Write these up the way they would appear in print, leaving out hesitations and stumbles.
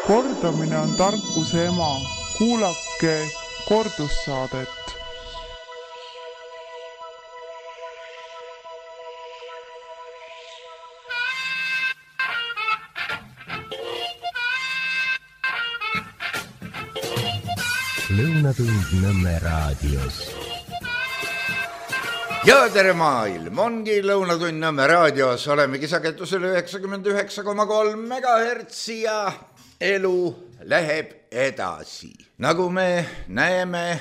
Kordamine on tarkuse ema. Kuulake kordussaadet. Lõunatund Nõmme raadios. Ja tere maailm, ongi Lõunatund Nõmme raadios, olemegi sagedusel 99,3 MHz ja elu läheb edasi. Nagu me näeme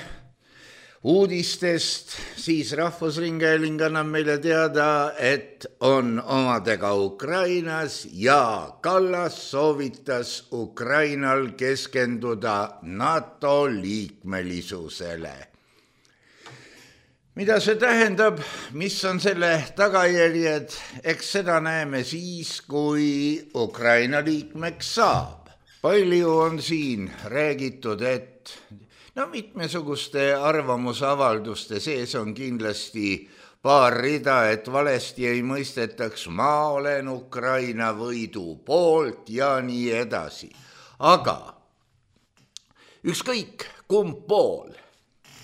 uudistest, siis Rahvusringhääling annab meile teada, et on omadega Ukrainas ja Kallas soovitas Ukrainal keskenduda NATO liikmelisusele. Mida see tähendab, mis on selle tagajärjed, eks seda näeme siis, kui Ukraina liikmeks saab. Palju on siin räägitud, et mitmesuguste arvamusavalduste sees on kindlasti paar rida, et valesti ei mõistetaks, ma olen Ukraina võidu poolt ja nii edasi. Aga ükskõik kumb pool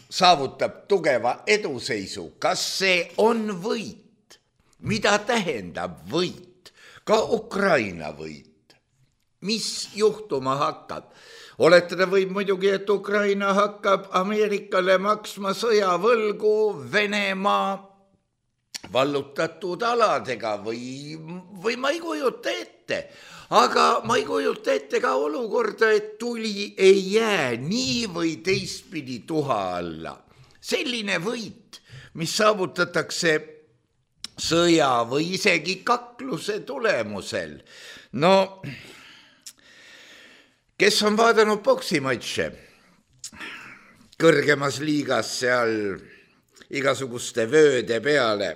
saavutab tugeva eduseisu, kas see on võit? Mida tähendab võit? Ka Ukraina võit. Mis juhtuma hakkab? Oletada võib muidugi, et Ukraina hakkab Ameerikale maksma sõjavõlgu Venemaa vallutatud aladega või ma ei kujuta ette. Aga ma ei kujuta ette ka olukorda, et tuli ei jää nii või teistpidi tuha alla. Selline võit, mis saavutatakse sõja või isegi kakluse tulemusel. Kes on vaadanud poksimatše kõrgemas liigas seal igasuguste vööde peale,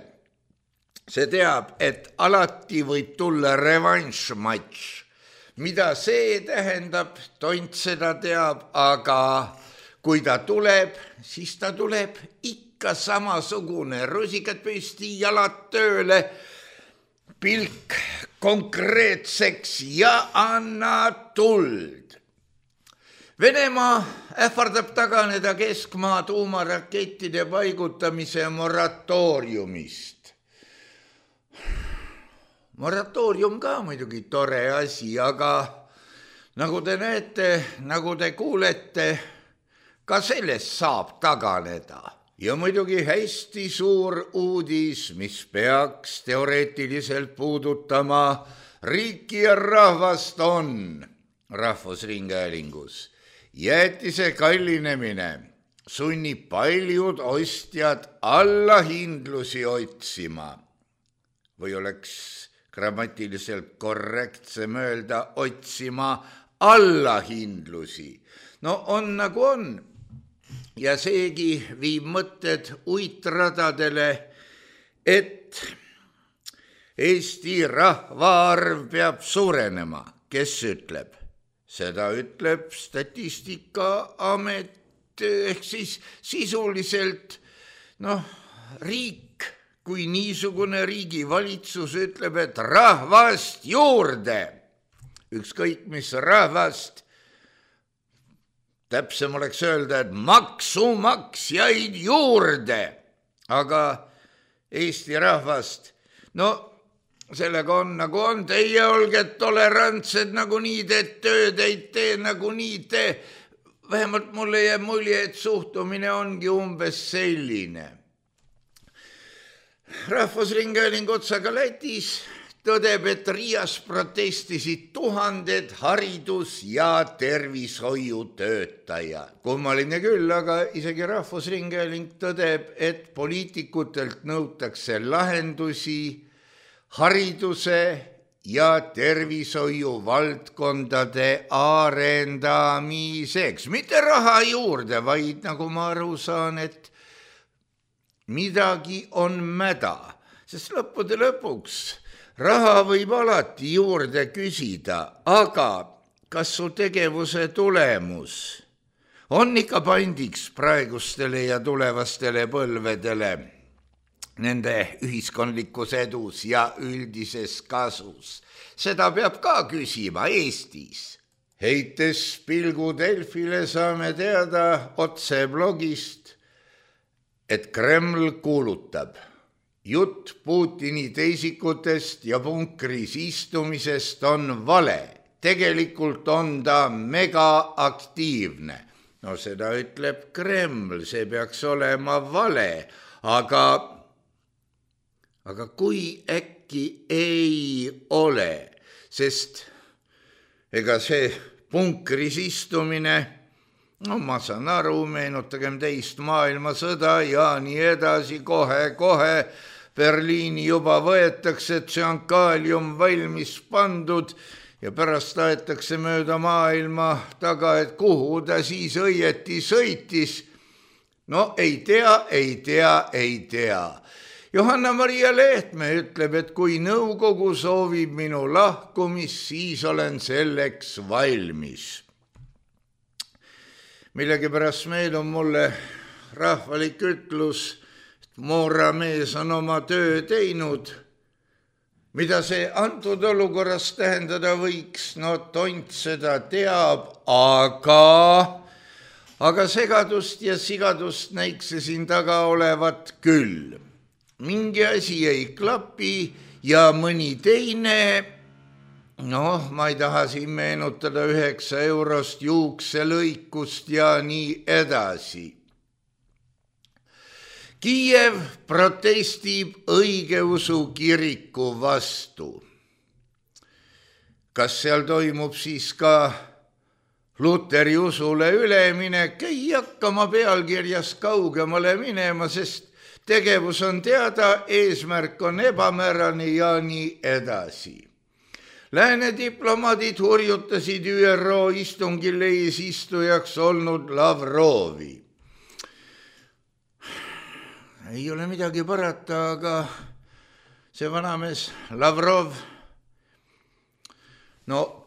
see teab, et alati võib tulla revanšmatš. Mida see tähendab, tont seda teab, aga kui ta tuleb, siis ta tuleb ikka samasugune. Rusikad püsti, jalad tööle, pilk konkreetseks ja anna tuld. Venemaa ähvardab taganeda keskmaa tuumarakettide paigutamise moratooriumist. Moratoorium ka muidugi tore asi, aga nagu te näete, nagu te kuulete, ka sellest saab taganeda. Ja muidugi hästi suur uudis, mis peaks teoreetiliselt puudutama riiki ja rahvast on Rahvusringhäälingus. Jäätise kallinemine sunnib paljud ostjad allahindlusi otsima. Või oleks grammatiliselt korrektsem öelda otsima allahindlusi. On nagu on. Ja seegi viib mõtted uitradadele, et Eesti rahvaarv peab suurenema. Kes ütleb? Seda ütleb Statistikaamet ehk siis sisuliselt riik kui niisugune riigivalitsus ütleb, et rahvast juurde. Ükskõik mis rahvast, täpsem oleks öelda, et maksumaksjaid juurde. Aga Eesti rahvast, sellega on nagu on, teie olge tolerantsed, nagu nii teed tööd, ei tee nagu nii tee. Vähemalt mulle jääb mulje, et suhtumine ongi umbes selline. Rahvusringhääling otsaga Lätis tõdeb, et Riias protestisid tuhanded haridus- ja tervishoiutöötajad. Kummaline küll, aga isegi Rahvusringhääling tõdeb, et poliitikutelt nõutakse lahendusi hariduse ja tervishoiu valdkondade arendamiseks. Mitte raha juurde, vaid nagu ma aru saan, et midagi on mäda. Sest lõppude lõpuks raha võib alati juurde küsida, aga kas su tegevuse tulemus on ikka pandiks praegustele ja tulevastele põlvedele? Nende ühiskondlikus edus ja üldises kasus. Seda peab ka küsima Eestis. heites pilgu Delfile saame teada otse blogist, et Kreml kuulutab: jutt Putini teisikutest ja punkris istumisest on vale. Tegelikult on ta megaaktiivne. No seda ütleb Kreml, see peaks olema vale, aga kui äkki ei ole, sest ega see punkris istumine, no ma saan aru, meenutagem teist maailmasõda ja nii edasi, kohe Berliini juba võetakse, et see on kaalium valmis pandud ja pärast aetakse mööda maailma taga, et kuhu ta siis õieti sõitis. No ei tea. Johanna-Maria Lehtme ütleb, et kui nõukogu soovib minu lahkumist, siis olen selleks valmis. Millegipärast meenub mulle rahvalik ütlus, et mooramees on oma töö teinud. Mida see antud olukorras tähendada võiks, no tont seda teab, aga segadust ja sigadust näikse siin taga olevat küll. Mingi asi ei klapi ja mõni teine, ma ei taha siin meenutada 9 eurost juukselõikust ja nii edasi. Kiiev protestib õigeusu kiriku vastu. Kas seal toimub siis ka Luteri usule üleminek? Ei hakka ma pealkirjas kaugemale minema, sest tegevus on teada, eesmärk on ebamäärane ja nii edasi. Lääne diplomaadid hurjutasid ÜRO istungil eesistujaks olnud Lavrovi. Ei ole midagi parata, aga see vanamees Lavrov,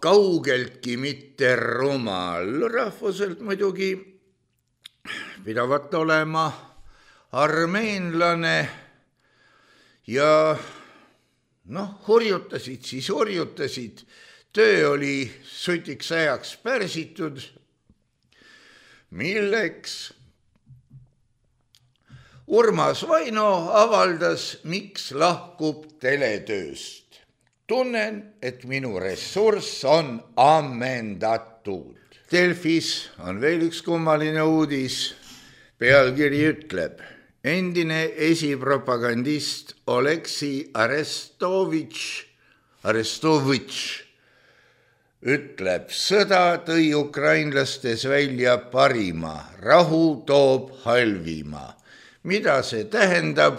kaugeltki mitte rumal, rahvuselt muidugi pidavat olema armeenlane ja hurjutasid, töö oli sutiks ajaks pärsitud, milleks Urmas Vaino avaldas, miks lahkub teletööst. Tunnen, et minu ressurss on ammendatud. Delfis on veel üks kummaline uudis. Pealkiri ütleb: endine esipropagandist Oleksi Arestovitš ütleb, sõda tõi ukrainlastes välja parima, rahu toob halvima. Mida see tähendab?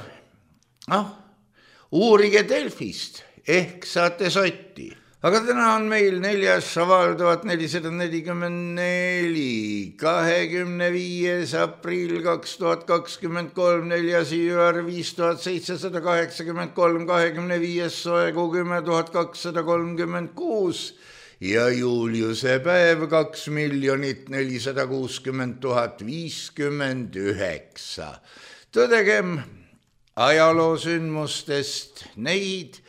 Uurige Delfist, ehk saate sotti. Aga täna on meil 4. šaval 1444, 25. aprill 2023, 4. jüar 5783, 25. soegu 10,236 ja Juliuse päev 2,460,059. Tõdegem ajaloosündmustest neid,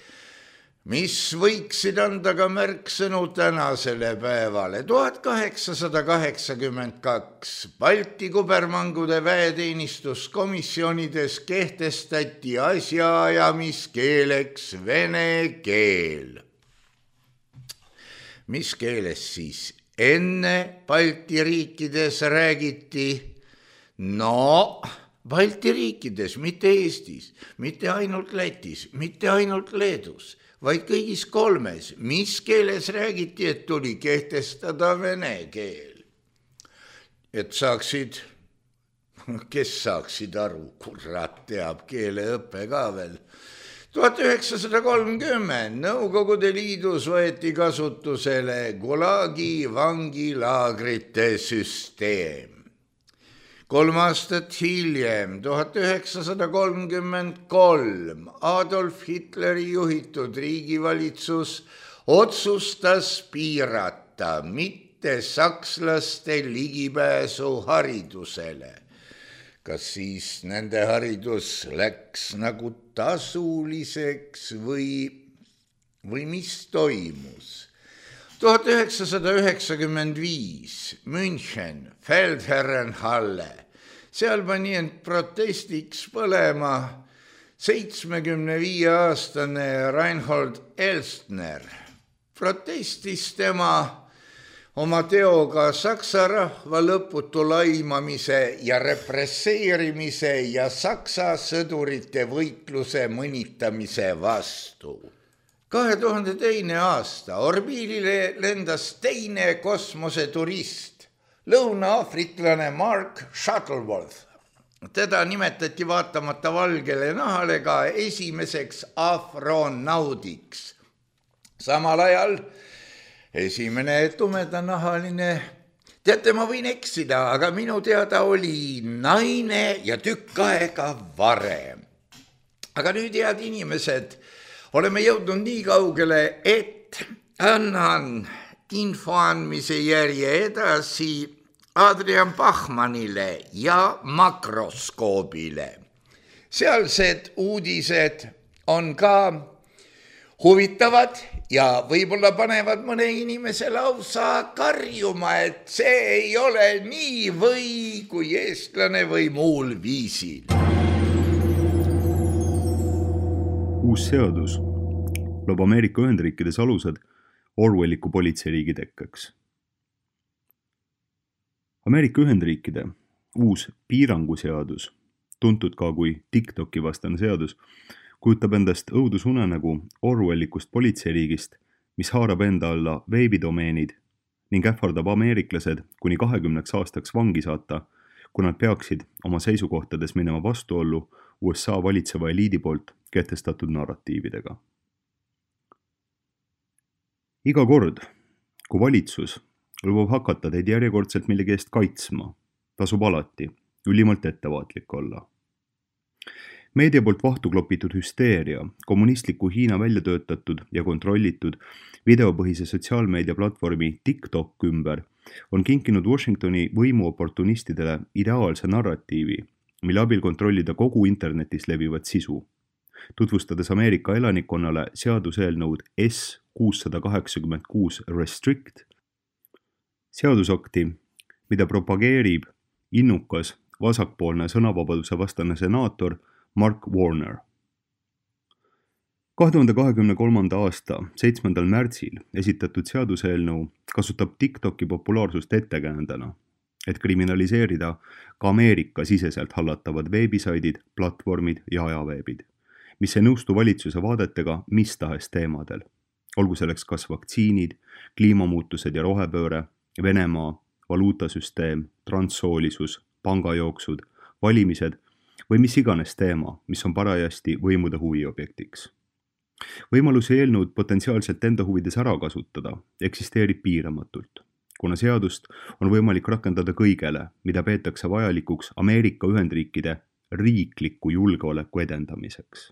mis võiksid anda ka märksõnu tänasele päevale. 1882 Balti kubermangude väeteenistuskomisjonides kehtestati asjaajamiskeeleks vene keel. Mis keeles siis enne Balti riikides räägiti? Balti riikides, mitte Eestis, mitte ainult Lätis, mitte ainult Leedus, vaid kõigis 3. Mis keeles räägiti, et tuli kehtestada vene keel? Et kes saaksid aru, kurat teab keeleõppe ka veel. 1930 Nõukogude Liidus võeti kasutusele Gulagi vangilaagrite süsteem. 3 aastat hiljem, 1933, Adolf Hitleri juhitud riigivalitsus otsustas piirata mitte sakslaste ligipääsu haridusele. Kas siis nende haridus läks nagu tasuliseks või mis toimus? 1995 München, Feldherrenhalle. Seal pani end protestiks põlema 75-aastane Reinhold Elstner. Protestis tema oma teoga Saksa rahva lõputu laimamise ja represseerimise ja Saksa sõdurite võitluse mõnitamise vastu. 2002. aasta orbiilile lendas teine kosmoseturist, lõuna-aafriklane Mark Shuttleworth. Teda nimetati vaatamata valgele nahale ka esimeseks afronaudiks. Samal ajal esimene tumedanahaline, teate, ma võin eksida, aga minu teada oli naine ja tükk aega varem. Aga nüüd, head inimesed, oleme jõudnud nii kaugele, et annan info andmise järje edasi Adrian Bachmannile ja Makroskoobile. Sealsed uudised on ka huvitavad ja võib-olla panevad mõne inimese lausa karjuma, et see ei ole nii või kui eestlane või muul viisil. Uus seadus loob Ameerika Ühendriikides alused Orwelliku politseiriigi tekkeks. Ameerika Ühendriikide uus piiranguseadus, tuntud ka kui TikToki vastane seadus, kujutab endast õudusunenägu Orwellikust politseiriigist, mis haarab enda alla veebidomeenid ning ähvardab ameeriklased kuni 20 aastaks vangi saata, kui nad peaksid oma seisukohtades minema vastuollu USA valitseva eliidi poolt kehtestatud narratiividega. Iga kord, kui valitsus lubab hakata teid järjekordselt millegi eest kaitsma, tasub alati ülimalt ettevaatlik olla. Meedia poolt vahtu klopitud hüsteeria, kommunistliku Hiina välja töötatud ja kontrollitud videopõhise sotsiaalmeedia platvormi TikTok ümber on kinkinud Washingtoni võimuoportunistidele ideaalse narratiivi, mille abil kontrollida kogu internetis levivat sisu, tutvustades Ameerika elanikkonnale seaduseelnõud S-686 Restrict, seadusakti, mida propageerib innukas vasakpoolne sõnavabaduse vastane senaator Mark Warner. 2023. aasta 7. märtsil esitatud seaduseelnõu kasutab TikToki populaarsust ettekäändena, et kriminaliseerida ka Ameerika siseselt hallatavad veebisaidid, platvormid ja ajaveebid, mis ei nõustu valitsuse vaadetega mis tahes teemadel, olgu selleks kas vaktsiinid, kliimamuutused ja rohepööre, Venemaa, valuutasüsteem, transsoolisus, pangajooksud, valimised või mis iganes teema, mis on parajasti võimude huviobjektiks. Võimalusi eelnõud potentsiaalselt enda huvides ära kasutada eksisteerib piiramatult, kuna seadust on võimalik rakendada kõigele, mida peetakse vajalikuks Ameerika Ühendriikide riikliku julgeoleku edendamiseks.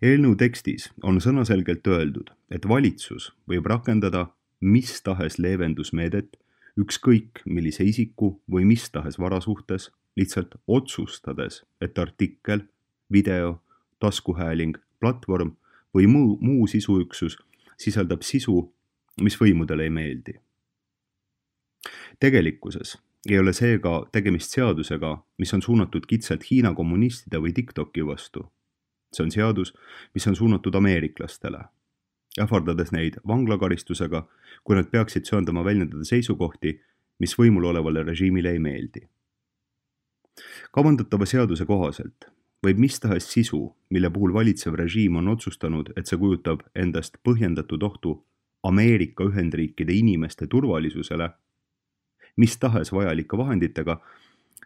Eelnõu tekstis on sõnaselgelt öeldud, et valitsus võib rakendada mis tahes leevendusmeedet ükskõik millise isiku või mis tahes vara suhtes, lihtsalt otsustades, et artikkel, video, taskuhääling, platvorm või muu sisuüksus sisaldab sisu, mis võimudele ei meeldi. Tegelikkuses ei ole seega tegemist seadusega, mis on suunatud kitsalt Hiina kommunistide või TikToki vastu. See on seadus, mis on suunatud ameeriklastele, ähvardades neid vanglakaristusega, kui nad peaksid söandama väljendada seisukohti, mis võimul olevale režiimile ei meeldi. Kavandatava seaduse kohaselt võib mis tahes sisu, mille puhul valitsev režiim on otsustanud, et see kujutab endast põhjendatud ohtu Ameerika Ühendriikide inimeste turvalisusele, mis tahes vajalike vahenditega,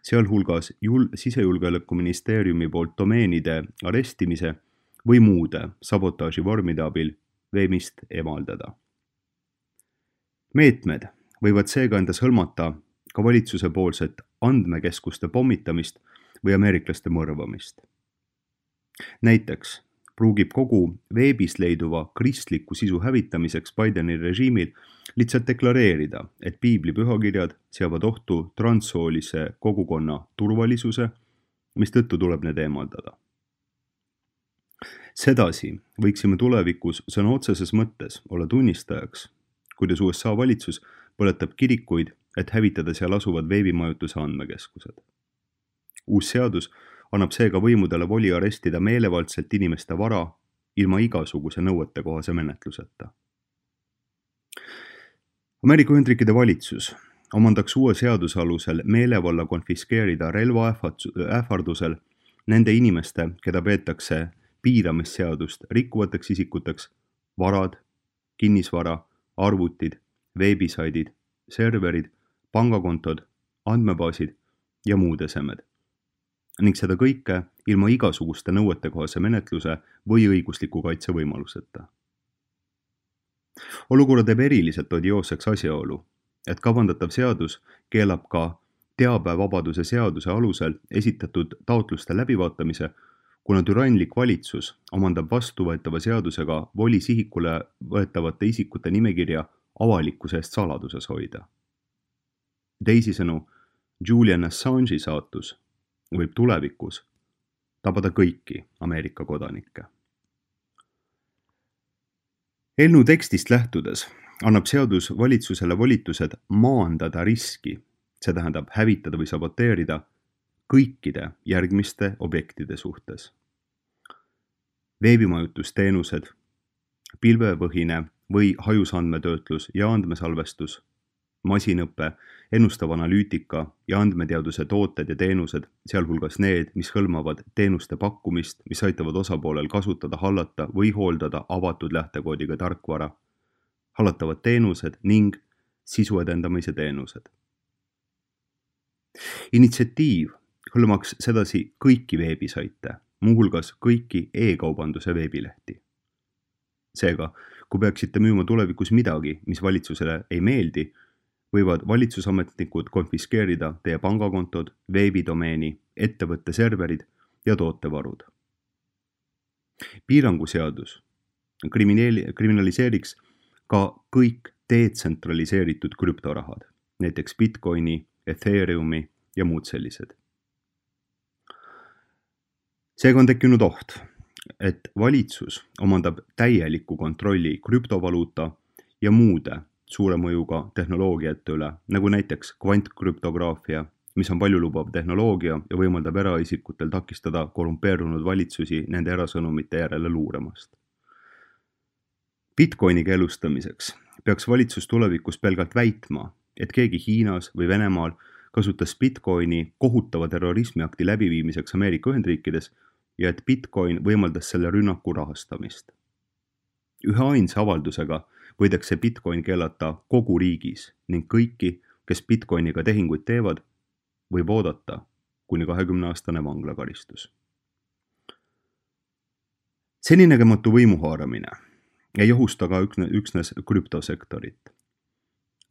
sealhulgas sisejulgeolekuministeeriumi poolt domeenide arestimise või muude sabotaaži vormide abil veebist eemaldada. Meetmed võivad seega endas hõlmata ka valitsuse poolset andmekeskuste pommitamist või ameeriklaste mõrvamist. Näiteks pruugib kogu veebis leiduva kristliku sisu hävitamiseks Bideni režiimil lihtsalt deklareerida, et piibli pühakirjad seavad ohtu transsoolise kogukonna turvalisuse, mistõttu tuleb need eemaldada. Sedasi võiksime tulevikus sõna otseses mõttes olla tunnistajaks kuidas USA valitsus põletab kirikuid, et hävitada seal asuvad veebimajutuse andmekeskused. Uus seadus annab seega võimudele voli arestida meelevaldselt inimeste vara ilma igasuguse nõuetekohase menetluseta. Ameerika Ühendriikide valitsus omandaks uue seaduse alusel meelevalla konfiskeerida relva ähvardusel nende inimeste, keda peetakse piiramisseadust rikkuvateks isikuteks, varad, kinnisvara, arvutid, veebisaidid, serverid, pangakontod, andmebaasid ja muud esemed. Ning seda kõike ilma igasuguste nõuetekohase menetluse või õigusliku kaitse võimaluseta. Olukorra teeb eriliselt odioosseks asjaolu, et kavandatav seadus keelab ka teabevabaduse seaduse alusel esitatud taotluste läbivaatamise, kuna türanlik valitsus omandab vastuvõetava seadusega voli sihikule võetavate isikute nimekirja avalikkuse eest saladuses hoida. Teisisõnu, Julian Assange'i saatus võib tulevikus tabada kõiki Ameerika kodanikke. Eelnõu tekstist lähtudes annab seadus valitsusele volitused maandada riski, see tähendab hävitada või saboteerida kõikide järgmiste objektide suhtes. Veebimajutusteenused, pilvepõhine või hajusandmetöötlus ja andmesalvestus, masinõppe, ennustav analüütika ja andmeteaduse tooted ja teenused, sealhulgas need, mis hõlmavad teenuste pakkumist, mis aitavad osapoolel kasutada, hallata või hooldada avatud lähtekoodiga tarkvara, hallatavad teenused ning sisu edendamise teenused. Initsiatiiv hõlmaks sedasi kõiki veebisaite, muuhulgas kõiki e-kaubanduse veebilehti. Seega, kui peaksite müüma tulevikus midagi, mis valitsusele ei meeldi, võivad valitsusametnikud konfiskeerida teie pangakontod, veebidomeeni, ettevõtte serverid ja tootevarud. Piiranguseadus kriminaliseeriks ka kõik detsentraliseeritud krüptorahad, näiteks Bitcoini, Ethereumi ja muud sellised. Seega on tekkinud oht, et valitsus omandab täieliku kontrolli krüptovaluuta ja muude suure mõjuga tehnoloogiate üle, nagu näiteks kvantkrüptograafia, mis on paljulubav tehnoloogia ja võimaldab eraisikutel takistada korrumpeerunud valitsusi nende erasõnumite järele luuramast. Bitcoini keelustamiseks peaks valitsus tulevikus pelgalt väitma, et keegi Hiinas või Venemaal kasutas Bitcoini kohutava terrorismiakti läbiviimiseks Ameerika Ühendriikides ja et Bitcoin võimaldas selle rünnaku rahastamist. Ühe ainsa avaldusega võidakse Bitcoin keelata kogu riigis ning kõiki, kes Bitcoiniga tehinguid teevad, võib oodata kuni 20-aastane vanglakaristus. Seninägematu võimuhaaramine ei ohusta ka üksnes krüptosektorit.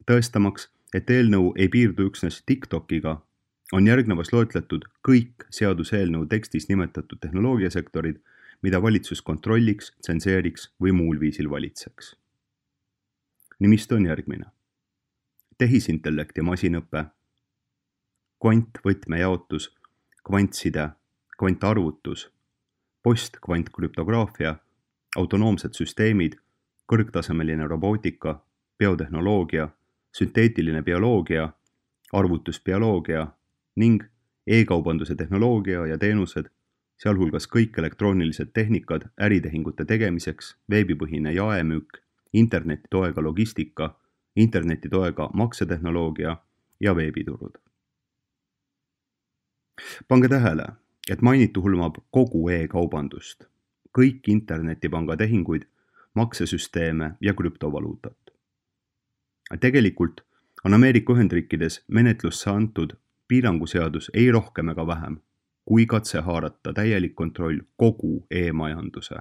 Tõestamaks, et eelnõu ei piirdu üksnes TikTokiga, on järgnevas loetletud kõik seaduseelnõu tekstis nimetatud tehnoloogiasektorid, mida valitsus kontrolliks, tsenseeriks või muul viisil valitseks. Nimistu on järgmine. Tehisintellekt ja masinõpe, kvantvõtmejaotus, kvantside, kvantarvutus, postkvantkrüptograafia, autonoomsed süsteemid, kõrgtasemeline robootika, biotehnoloogia, sünteetiline bioloogia, arvutusbioloogia ning e-kaubanduse tehnoloogia ja teenused, sealhulgas kõik elektroonilised tehnikad äritehingute tegemiseks, veebipõhine jaemüük, interneti toega logistika, interneti toega maksetehnoloogia ja veebiturud. Pange tähele, et mainitu hõlmab kogu e-kaubandust, kõik internetipanga tehinguid, maksesüsteeme ja krüptovaluutat. Tegelikult on Ameerika Ühendriikides menetlusse antud piiranguseadus ei rohkem ega vähem, kui katse haarata täielik kontroll kogu e-majanduse,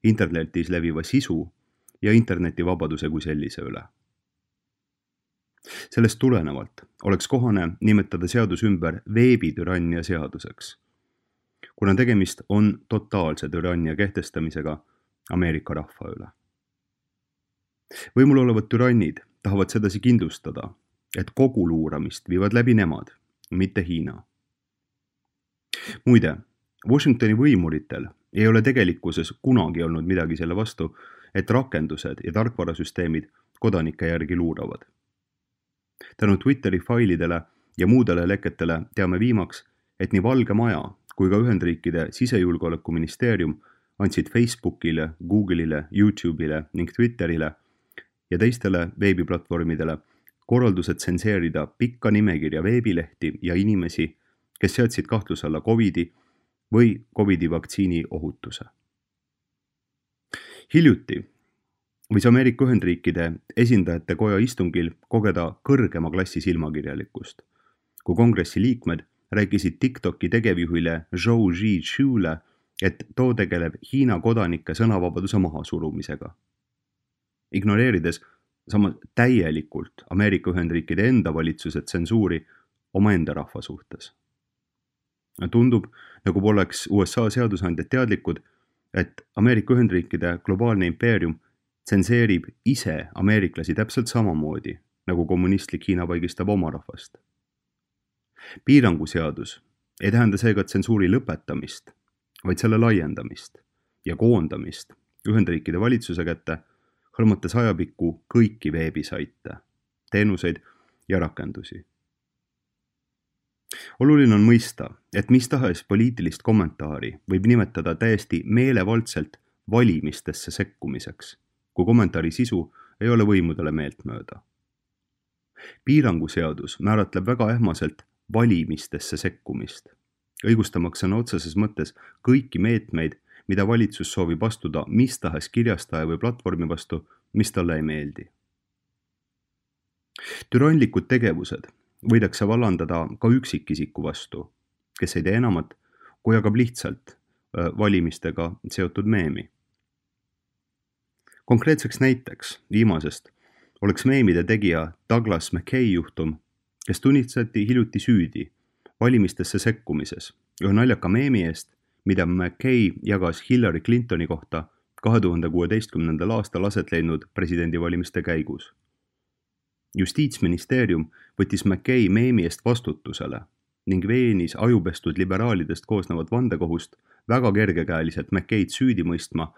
internetis leviva sisu ja internetivabaduse kui sellise üle. Sellest tulenevalt oleks kohane nimetada seadus ümber veebitürannia seaduseks, kuna tegemist on totaalse türannia kehtestamisega Ameerika rahva üle. Võimul olevad türannid tahavad sedasi kindlustada, et kogu luuramist viivad läbi nemad, mitte Hiina. Muide, Washingtoni võimuritel ei ole tegelikkuses kunagi olnud midagi selle vastu, et rakendused ja tarkvarasüsteemid kodanike järgi luuravad. Tänu Twitteri failidele ja muudele leketele teame viimaks, et nii Valge Maja kui ka Ühendriikide sisejulgeolekuministeerium andsid Facebookile, Google'ile, YouTube'ile ning Twitterile ja teistele veebiplatvormidele korraldused tsenseerida pikka nimekirja veebilehti ja inimesi, kes seadsid kahtluse alla COVID-i või COVID-i vaktsiini ohutuse. Hiljuti võis Ameerika Ühendriikide esindajate koja istungil kogeda kõrgema klassi silmakirjalikkust, kui kongressi liikmed rääkisid TikToki tegevjuhile Zhou Zhizhule, et too tegeleb Hiina kodanike sõnavabaduse mahasurumisega, ignoreerides samas täielikult Ameerika Ühendriikide enda valitsuse tsensuuri omaenda rahva suhtes. Tundub, nagu poleks USA seadusandjad teadlikud, et Ameerika Ühendriikide globaalne impeerium tsenseerib ise ameeriklasi täpselt samamoodi, nagu kommunistlik Hiina vaigistab oma rahvast. Piiranguseadus ei tähenda seega tsensuuri lõpetamist, vaid selle laiendamist ja koondamist Ühendriikide valitsuse kätte, hõlmates ajapikku kõiki veebisaite, teenuseid ja rakendusi. Oluline on mõista, et mis tahes poliitilist kommentaari võib nimetada täiesti meelevaldselt valimistesse sekkumiseks, kui kommentaari sisu ei ole võimudele meeltmööda. Piiranguseadus määratleb väga ähmaselt valimistesse sekkumist, õigustamaks sõna otseses mõttes kõiki meetmeid, mida valitsus soovib astuda mis tahes kirjastaja või platvormi vastu, mis talle ei meeldi. Türanlikud tegevused võidakse vallandada ka üksikisiku vastu, kes ei tee enamat, kui jagab lihtsalt valimistega seotud meemi. Konkreetseks näiteks viimasest oleks meemide tegija Douglas McKay juhtum, kes tunnistati hiljuti süüdi valimistesse sekkumises ühe naljaka meemi eest, mida McKay jagas Hillary Clintoni kohta 2016. aastal aset leidnud presidendivalimiste käigus. Justiitsministeerium võttis McKay meemi eest vastutusele ning veenis ajupestud liberaalidest koosnevat vandekohust väga kergekäeliselt McKayd süüdi mõistma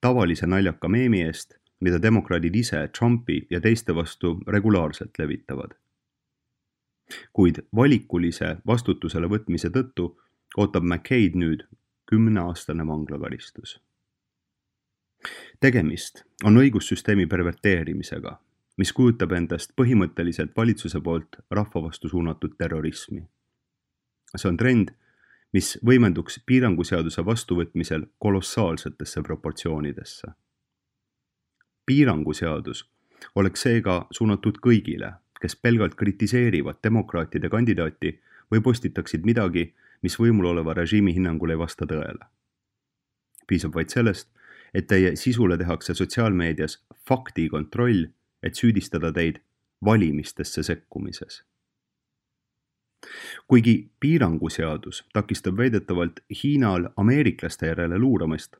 tavalise naljaka meemi eest, mida demokraadid ise Trumpi ja teiste vastu regulaarselt levitavad. Kuid valikulise vastutusele võtmise tõttu ootab McKayd nüüd 10-aastane vanglakaristus. Tegemist on õigussüsteemi perverteerimisega, mis kujutab endast põhimõtteliselt valitsuse poolt rahva vastu suunatud terrorismi. See on trend, mis võimenduks piiranguseaduse vastuvõtmisel kolossaalsetesse proportsioonidesse. Piiranguseadus oleks seega suunatud kõigile, kes pelgalt kritiseerivad demokraatide kandidaati või postitaksid midagi, mis võimul oleva režiimi hinnangul ei vasta tõele. Piisab vaid sellest, et teie sisule tehakse sotsiaalmeedias faktikontroll, et süüdistada teid valimistesse sekkumises. Kuigi piiranguseadus takistab väidetavalt Hiinal ameeriklaste järele luuramist,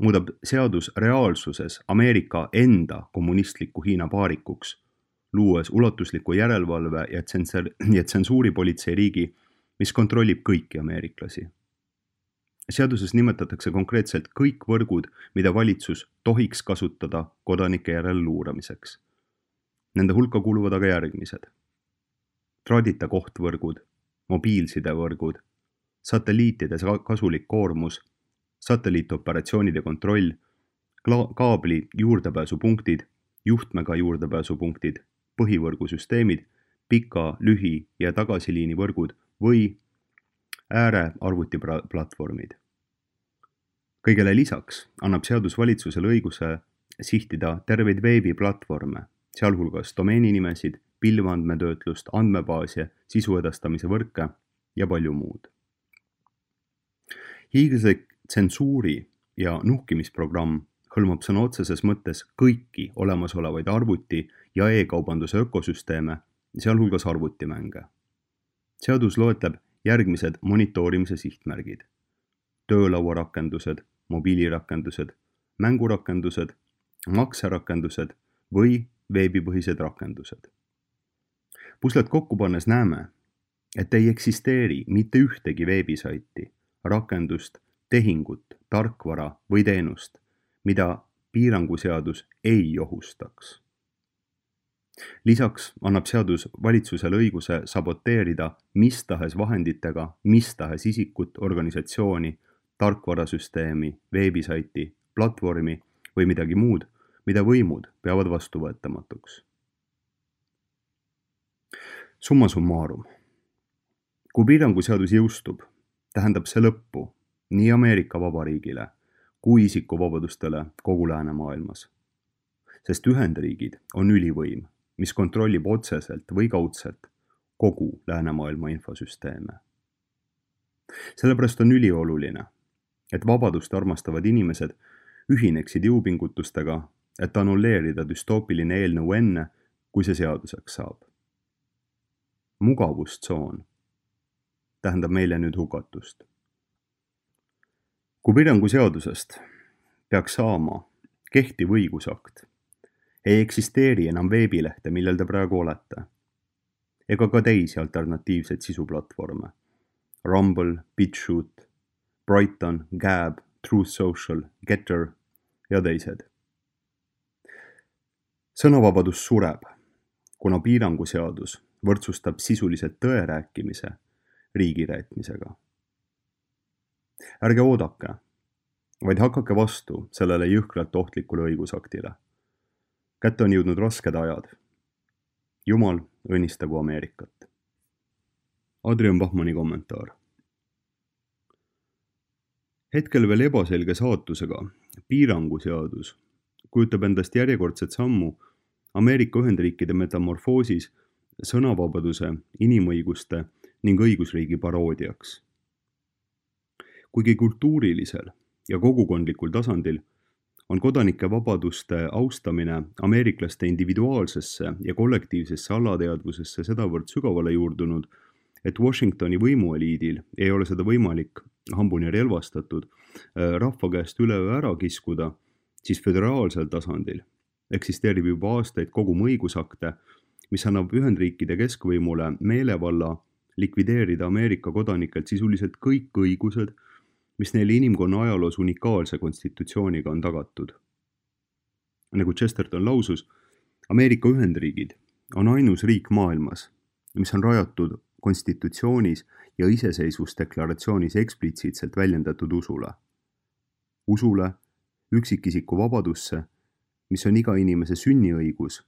muudab seadus reaalsuses Ameerika enda kommunistliku Hiina paarikuks, luues ulatusliku järelevalve ja tsensuuripolitsei riigi, mis kontrollib kõiki ameeriklasi. Seaduses nimetatakse konkreetselt kõik võrgud, mida valitsus tohiks kasutada kodanike järele luuramiseks. Nende hulka kuuluvad aga järgmised. Traadita kohtvõrgud, mobiilsidevõrgud, satelliitide kasulik koormus, satelliitoperatsioonide kontroll, kaabli juurdepääsupunktid, juhtmega juurdepääsupunktid, põhivõrgusüsteemid, pika, lühi- ja tagasiliini võrgud või äärearvutiplatvormid. Kõigele lisaks annab seadus valitsusele õiguse sihtida terveid veebiplatvorme, sealhulgas domeeninimesid, pilveandmetöötlust, andmebaase, sisu edastamise võrke ja palju muud. Hiiglaslik tsensuuri ja nuhkimisprogramm hõlmab sõna otseses mõttes kõiki olemasolevaid arvuti- ja e-kaubanduse ökosüsteeme, sealhulgas arvutimänge. Seadus loetleb järgmised monitoorimise sihtmärgid: töölauarakendused, mobiilirakendused, mängurakendused, makserakendused või veebipõhised rakendused. Puslet kokku pannes näeme, et ei eksisteeri mitte ühtegi veebisaiti, rakendust, tehingut, tarkvara või teenust, mida piiranguseadus ei ohustaks. Lisaks annab seadus valitsusele õiguse saboteerida mis tahes vahenditega mis tahes isikut, organisatsiooni, tarkvarasüsteemi, veebisaiti, platvormi või midagi muud, mida võimud peavad vastuvõetamatuks. Summa summarum. Kui piiranguseadus jõustub, tähendab see lõppu nii Ameerika Vabariigile kui isikuvabadustele kogu läänemaailmas. Sest Ühendriigid on ülivõim, mis kontrollib otseselt või kaudselt kogu läänemaailma infosüsteeme. Sellepärast on ülioluline, et vabadust armastavad inimesed ühineksid jõupingutustega, et annulleerida düstoopiline eelnõu enne, kui see seaduseks saab. Mugavustsoon tähendab meile nüüd hukatust. Kui piiranguseadusest peaks saama kehtiv õigusakt, ei eksisteeri enam veebilehte, millel te praegu olete, ega ka teisi alternatiivseid sisuplatvorme. Rumble, BitChute, Brighton, Gab, Truth Social, Getter ja teised. Sõnavabadus sureb, kuna piiranguseadus võrdsustab sisuliselt tõe rääkimise riigireetmisega. Ärge oodake, vaid hakake vastu sellele jõhkralt ohtlikule õigusaktile. Kätte on jõudnud rasked ajad. Jumal õnnistagu Ameerikat. Adrian Bachmanni kommentaar. Hetkel veel ebaselge saatusega piiranguseadus kujutab endast järjekordset sammu Ameerika Ühendriikide metamorfoosis sõnavabaduse, inimõiguste ning õigusriigi paroodiaks. Kuigi kultuurilisel ja kogukondlikul tasandil on kodanike vabaduste austamine ameeriklaste individuaalsesse ja kollektiivsesse alateadvusesse sedavõrd sügavale juurdunud, et Washingtoni võimueliidil ei ole seda võimalik hambuni relvastatud rahva käest üleöö ära kiskuda, siis föderaalsel tasandil eksisteerib juba aastaid kogum õigusakte, mis annab Ühendriikide keskvõimule meelevalla likvideerida Ameerika kodanikelt sisuliselt kõik õigused, mis neile inimkonna ajaloos unikaalse konstitutsiooniga on tagatud. Nagu Chesterton lausus, Ameerika Ühendriigid on ainus riik maailmas, mis on rajatud konstitutsioonis ja iseseisvusdeklaratsioonis eksplitsiitselt väljendatud usule. Usule, üksikisiku vabadusse, mis on iga inimese sünniõigus,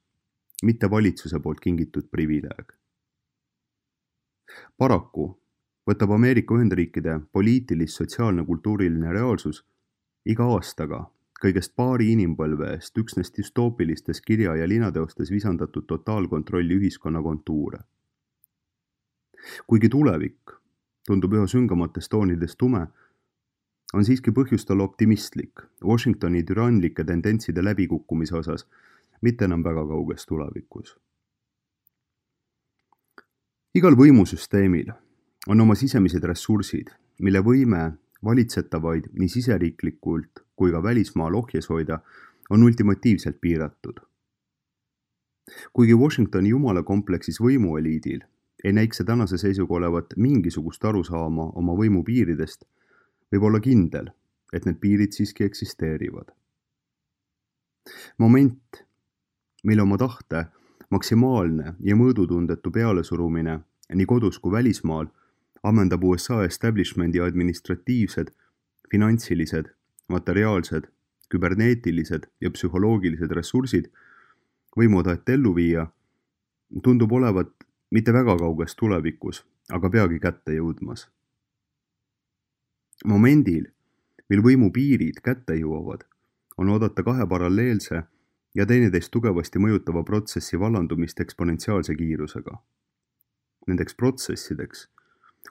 mitte valitsuse poolt kingitud privileeg. Paraku võtab Ameerika Ühendriikide poliitilis-sotsiaalne kultuuriline reaalsus iga aastaga kõigest paari inimpõlve eest üksnes dystoopilistes kirja- ja linateostes visandatud totaalkontrolli ühiskonna kontuure. Kuigi tulevik tundub üha süngamates toonides tume, on siiski põhjust olla optimistlik Washingtoni türanlike tendentside läbikukkumise osas, mitte enam väga kauges tulevikus. Igal võimusüsteemil on oma sisemised ressursid, mille võime valitsetavaid nii siseriiklikult kui ka välismaal ohjes hoida on ultimatiivselt piiratud. Kuigi Washingtoni jumalakompleksis võimueliidil ei näiks see tänase seisuga olevat mingisugust arusaama oma võimu piiridest, võib olla kindel, et need piirid siiski eksisteerivad. Moment, mille oma tahte maksimaalne ja mõõdutundetu pealesurumine nii kodus kui välismaal ammendab USA establishmendi administratiivsed, finantsilised, materiaalsed, küberneetilised ja psühholoogilised ressursid võimuda ellu viia, tundub olevat mitte väga kauges tulevikus, aga peagi kätte jõudmas. Momendil, mil võimu piirid kätte jõuavad, on oodata kahe paralleelse ja teineteist tugevasti mõjutava protsessi vallandumist eksponentsiaalse kiirusega. Nendeks protsessideks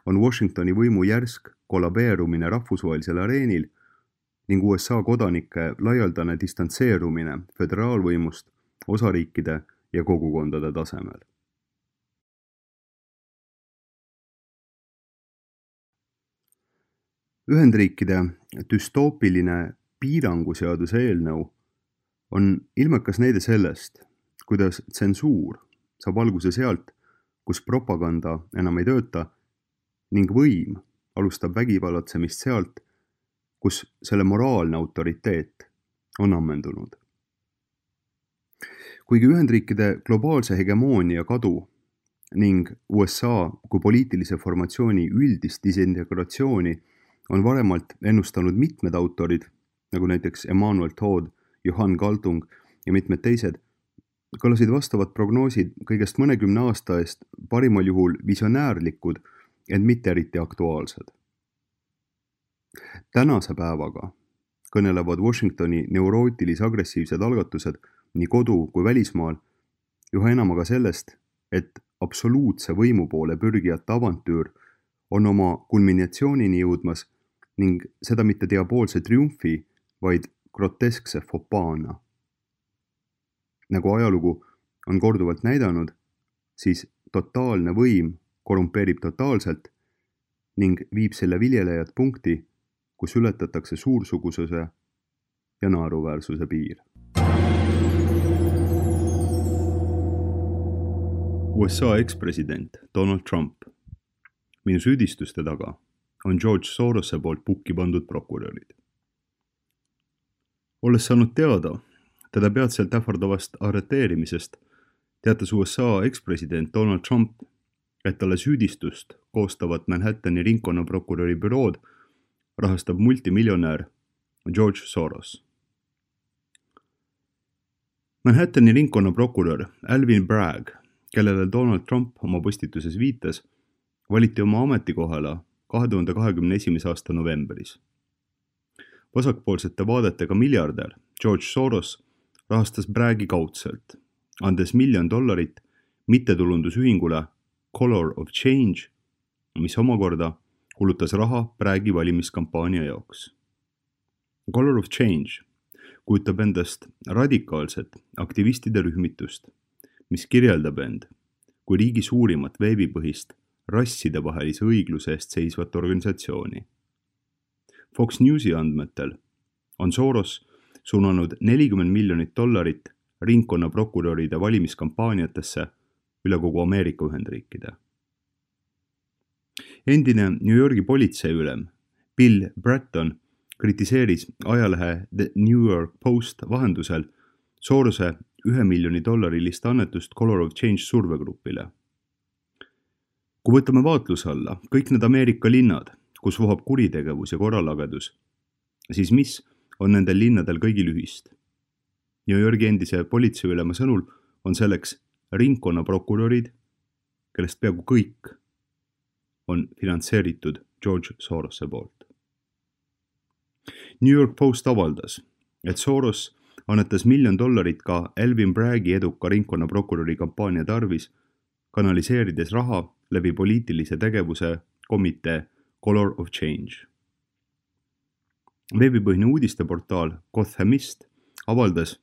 on Washingtoni võimu järsk kollabeerumine rahvusvahelisel areenil ning USA kodanike laialdane distantseerumine föderaalvõimust osariikide ja kogukondade tasemel. Ühendriikide düstoopiline piiranguseaduse eelnõu on ilmekas näide sellest, kuidas tsensuur saab alguse sealt, kus propaganda enam ei tööta ning võim alustab vägivallatsemist sealt, kus selle moraalne autoriteet on ammendunud. Kuigi Ühendriikide globaalse hegemoonia kadu ning USA kui poliitilise formatsiooni üldist disintegratsiooni on varemalt ennustanud mitmed autorid, nagu näiteks Emmanuel Todd, Johan Galtung ja mitmed teised, kõlasid vastavad prognoosid kõigest mõnekümne aasta eest parimal juhul visionäärlikud, ent mitte eriti aktuaalsed. Tänase päevaga kõnelevad Washingtoni neurootilis-agressiivsed algatused nii kodu kui välismaal üha enam aga sellest, et absoluutse võimu poole pürgijate avantüür on oma kulminatsioonini jõudmas ning seda mitte diaboolse triumfi, vaid groteskse fopaana. Nagu ajalugu on korduvalt näidanud, siis totaalne võim korrumpeerib totaalselt ning viib selle viljelejad punkti, kus ületatakse suursugususe ja naeruväärsuse piir. USA ekspresident Donald Trump. Minu süüdistuste taga on George Sorose poolt pukki pandud prokurörid. Olles saanud teada teda peatselt ähvardavast arreteerimisest, teatas USA ekspresident Donald Trump, et talle süüdistust koostavat Manhattani ringkonnaprokuröri bürood rahastab multimiljonär George Soros. Manhattani ringkonnaprokurör Alvin Bragg, kellele Donald Trump oma postituses viitas, valiti oma ametikohale 2021. aasta novembris. Vasakpoolsete vaadetega miljardär George Soros rahastas Braggi kaudselt, andes $1 miljon mittetulundusühingule Color of Change, mis omakorda kulutas raha Braggi valimiskampaania jaoks. Color of Change kujutab endast radikaalset aktivistide rühmitust, mis kirjeldab end kui riigi suurimat veebipõhist rassidevahelise õigluse eest seisvat organisatsiooni. Fox Newsi andmetel on Soros suunanud $40 miljonit ringkonnaprokuröride valimiskampaaniatesse üle kogu Ameerika Ühendriikide. Endine New Yorgi politseiülem Bill Bratton kritiseeris ajalehe The New York Post vahendusel Sorose $1 miljoni annetust Color of Change survegrupile. Kui võtame vaatluse alla kõik need Ameerika linnad, kus vohab kuritegevus ja korralagedus, siis mis on nendel linnadel kõigil ühist? New Yorgi endise politseiülema sõnul on selleks ringkonnaprokurörid, kellest peaaegu kõik on finantseeritud George Sorose poolt. New York Post avaldas, et Soros annetas $1 miljon ka Alvin Braggi eduka ringkonnaprokuröri kampaania tarvis, kanaliseerides raha läbi poliitilise tegevuse komitee Color of Change. Veebipõhine uudisteportaal Gothamist avaldas,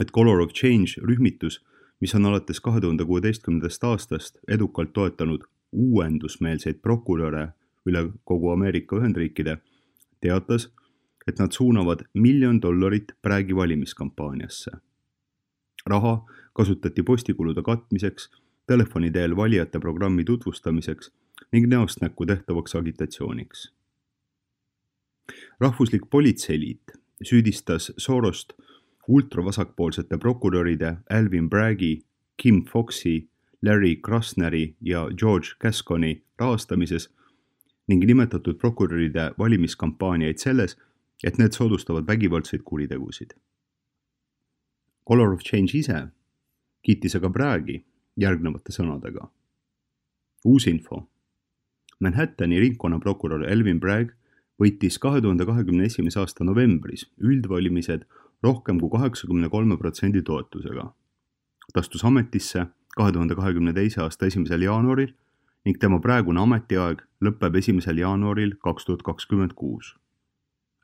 et Color of Change rühmitus, mis on alates 2016. aastast edukalt toetanud uuendusmeelseid prokuröre üle kogu Ameerika Ühendriikide, teatas, et nad suunavad $1 miljon Braggi valimiskampaaniasse. Raha kasutati postikulude katmiseks, telefoni teel valijate programmi tutvustamiseks ning näost näkku tehtavaks agitatsiooniks. Rahvuslik politseiliit süüdistas Sorost ultravasakpoolsete prokuröride Alvin Braggi, Kim Foxi, Larry Krasneri ja George Gasconi rahastamises ning nimetatud prokuröride valimiskampaaniaid selles, et need soodustavad vägivaldseid kuritegusid. Color of Change ise kiitis aga Braggi järgnevate sõnadega. Uus info. Manhattani ringkonnaprokurör Alvin Bragg võitis 2021. aasta novembris üldvalimised rohkem kui 83% toetusega. Ta astus ametisse 2022. aasta 1. jaanuaril ning tema praegune ametiaeg lõpeb 1. jaanuaril 2026.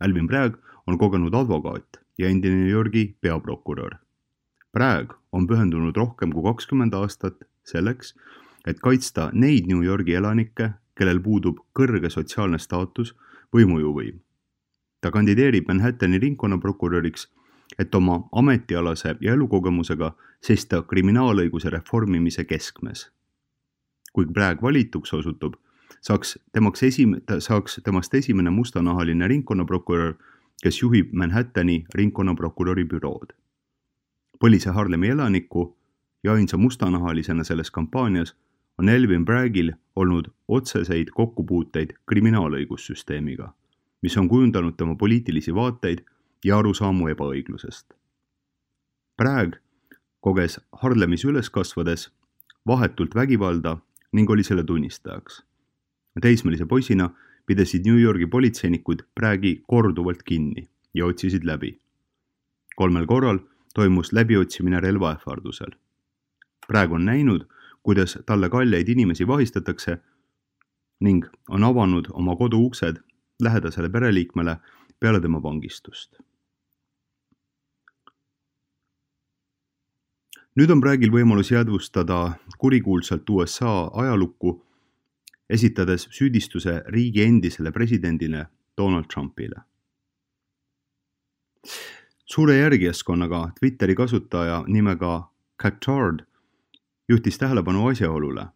Alvin Bragg on kogenud advokaat ja endine New Yorgi peaprokurör. Bragg on pühendunud rohkem kui 20 aastat selleks, et kaitsta neid New Yorgi elanikke, kellel puudub kõrge sotsiaalne staatus või mõjuvõim. Ta kandideerib Manhattani ringkonnaprokuröriks, et oma ametialase ja elukogemusega seista kriminaalõiguse reformimise keskmes. Kui Bragg valituks osutub, saaks temast esimene mustanahaline ringkonnaprokurör, kes juhib Manhattani ringkonnaprokuröri bürood. Põlise Harlemi elaniku ja ainsa mustanahalisena selles kampaanias on Alvin Braggil olnud otseseid kokkupuuteid kriminaalõigussüsteemiga, mis on kujundanud tema poliitilisi vaateid ja arusaamu ebaõiglusest. Bragg koges Harlemis üles kasvades vahetult vägivalda ning oli selle tunnistajaks. Teismelise poisina pidasid New Yorgi politseinikud Braggi korduvalt kinni ja otsisid läbi. 3 korral toimus läbiotsimine relvaähvardusel. Bragg on näinud, kuidas talle kalleid inimesi vahistatakse ning on avanud oma kodu uksed lähedasele pereliikmele peale tema vangistust. Nüüd on Braggil võimalus jäädvustada kurikuulsalt USA ajalukku, esitades süüdistuse riigi endisele presidendile Donald Trumpile. Suure järgijaskonnaga Twitteri kasutaja nimega Catard juhtis tähelepanu asjaolule,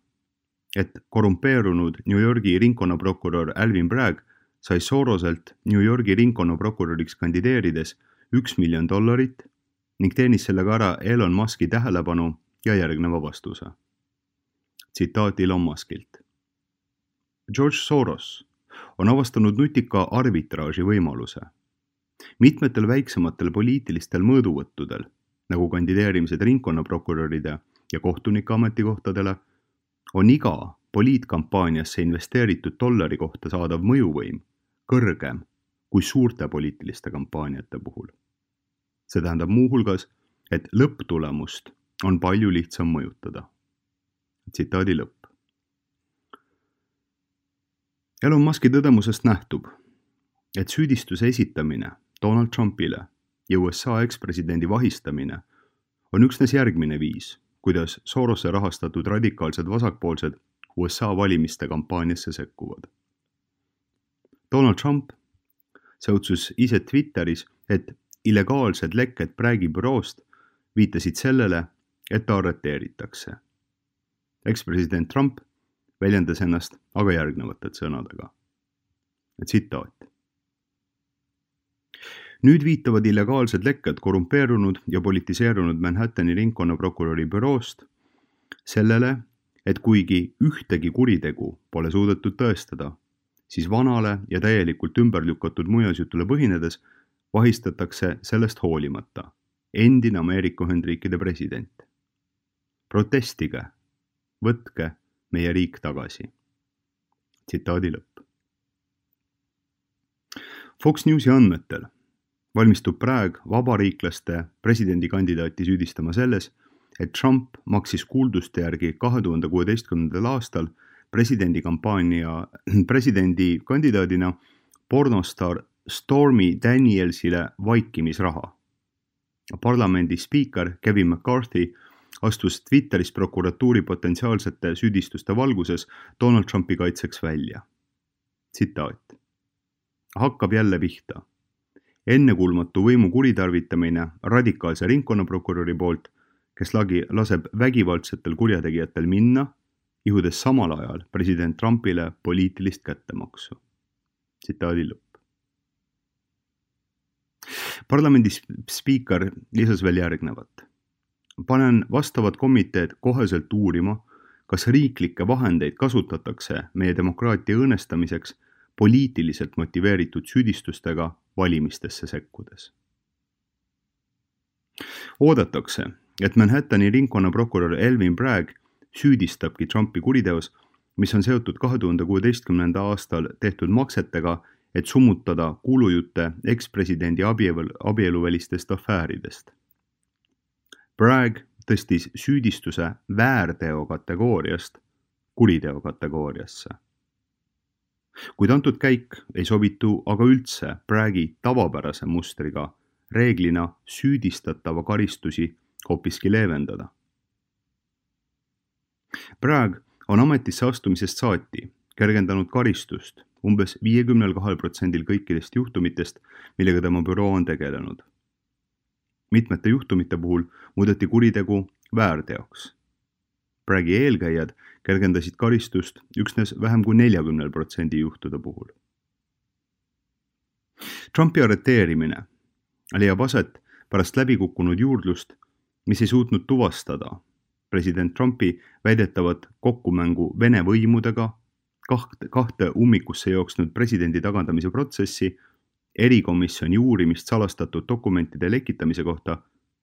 et korrumpeerunud New Yorgi ringkonnaprokurör Alvin Bragg sai Soroselt New Yorgi ringkonnaprokuröriks kandideerides $1 miljon ning teenis sellega ära Elon Muski tähelepanu ja järgneva vastuse. Tsitaat Elon Muskilt. George Soros on avastanud nutika arbitraaži võimaluse. Mitmetel väiksematel poliitilistel mõõduvõttudel, nagu kandideerimised ringkonnaprokuröride ja kohtunike ametikohtadele, on iga poliitkampaaniasse investeeritud $1 kohta saadav mõjuvõim kõrgem kui suurte poliitiliste kampaaniate puhul. See tähendab muuhulgas, et lõpptulemust on palju lihtsam mõjutada. Tsitaadi lõpp. Elon Muski tõdemusest nähtub, et süüdistuse esitamine Donald Trumpile ja USA ekspresidendi vahistamine on üksnes järgmine viis, kuidas Sorose rahastatud radikaalsed vasakpoolsed USA valimiste kampaaniasse sekkuvad. Donald Trump säutsus ise Twitteris, et illegaalsed lekked Braggi büroost viitasid sellele, et ta arreteeritakse. Ekspresident Trump väljendas ennast aga järgnevate sõnadega. Tsitaat. Nüüd viitavad illegaalsed lekked korrumpeerunud ja politiseerunud Manhattani ringkonnaprokuröri büroost sellele, et kuigi ühtegi kuritegu pole suudetud tõestada, siis vanale ja täielikult ümber lükatud muinasjutule põhinedes vahistatakse sellest hoolimata endine Ameerika Ühendriikide president. Protestige, võtke meie riik tagasi. Tsitaadi lõpp. Fox Newsi andmetel valmistub Bragg vabariiklaste presidendikandidaati süüdistama selles, et Trump maksis kuulduste järgi 2016. aastal presidendikandidaadina pornostar Stormy Danielsile vaikimisraha. Parlamendi spiiker Kevin McCarthy astus Twitteris prokuratuuri potentsiaalsete süüdistuste valguses Donald Trumpi kaitseks välja. Tsitaat. Hakkab jälle pihta. Ennekuulmatu võimu kuritarvitamine radikaalse ringkonnaprokuröri poolt, kes laseb vägivaldsetel kurjategijatel minna, ihudes samal ajal president Trumpile poliitilist kättemaksu. Tsitaadi lõpp. Parlamendi spiiker lisas veel järgnevat. Panen vastavad komiteed koheselt uurima, kas riiklikke vahendeid kasutatakse meie demokraatia õõnestamiseks poliitiliselt motiveeritud süüdistustega valimistesse sekkudes. Oodatakse, et Manhattani ringkonnaprokurör Alvin Bragg süüdistabki Trumpi kuriteos, mis on seotud 2016. aastal tehtud maksetega, et summutada kuulujutte ekspresidendi abieluvälistest afääridest. Bragg tõstis süüdistuse väärteo kategooriast kuriteo kategooriasse. Kuid antud käik ei sobitu aga üldse Braggi tavapärase mustriga reeglina süüdistatava karistusi hoopiski leevendada. Bragg on ametisse astumisest saati kergendanud karistust umbes 52% kõikidest juhtumitest, millega tema büroo on tegelenud. Mitmete juhtumite puhul muudeti kuritegu väärteoks. Braggi eelkäijad kergendasid karistust üksnes vähem kui 40% juhtude puhul. Trumpi arreteerimine leiab aset pärast läbikukkunud juurdlust mis ei suutnud tuvastada president Trumpi väidetavat kokkumängu Vene võimudega, kahte ummikusse jooksnud presidendi tagandamise protsessi, erikomisjoni uurimist salastatud dokumentide lekitamise kohta,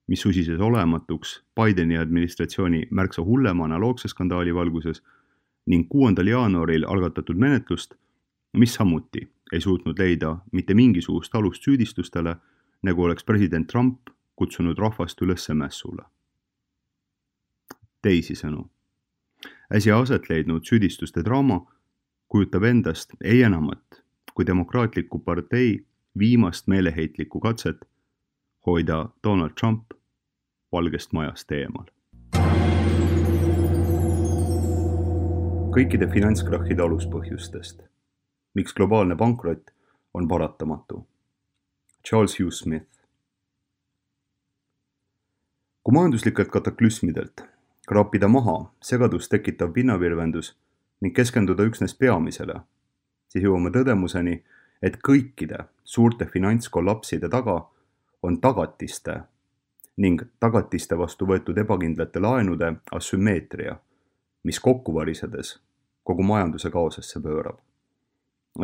mis susises olematuks Bideni administratsiooni märksa hullema analoogse skandaali valguses ning 6. jaanuaril algatatud menetlust, mis samuti ei suutnud leida mitte mingisugust alust süüdistustele, nagu oleks president Trump kutsunud rahvast üles mässule. Teisisõnu, äsja aset leidnud süüdistuste draama kujutab endast ei enamat kui demokraatliku partei viimast meeleheitlikku katset hoida Donald Trump Valgest Majast eemal. Kõikide finantskrahhide aluspõhjustest, miks globaalne pankrot on paratamatu. Charles Hugh Smith. Kui majanduslikelt kataklüsmidelt kraapida maha segadust tekitav pinnavirvendus ning keskenduda üksnes peamisele, siis jõuame tõdemuseni, et kõikide suurte finantskollapside taga on tagatiste ning tagatiste vastu võetud ebakindlate laenude asümmeetria, mis kokku varisedes kogu majanduse kaosesse pöörab.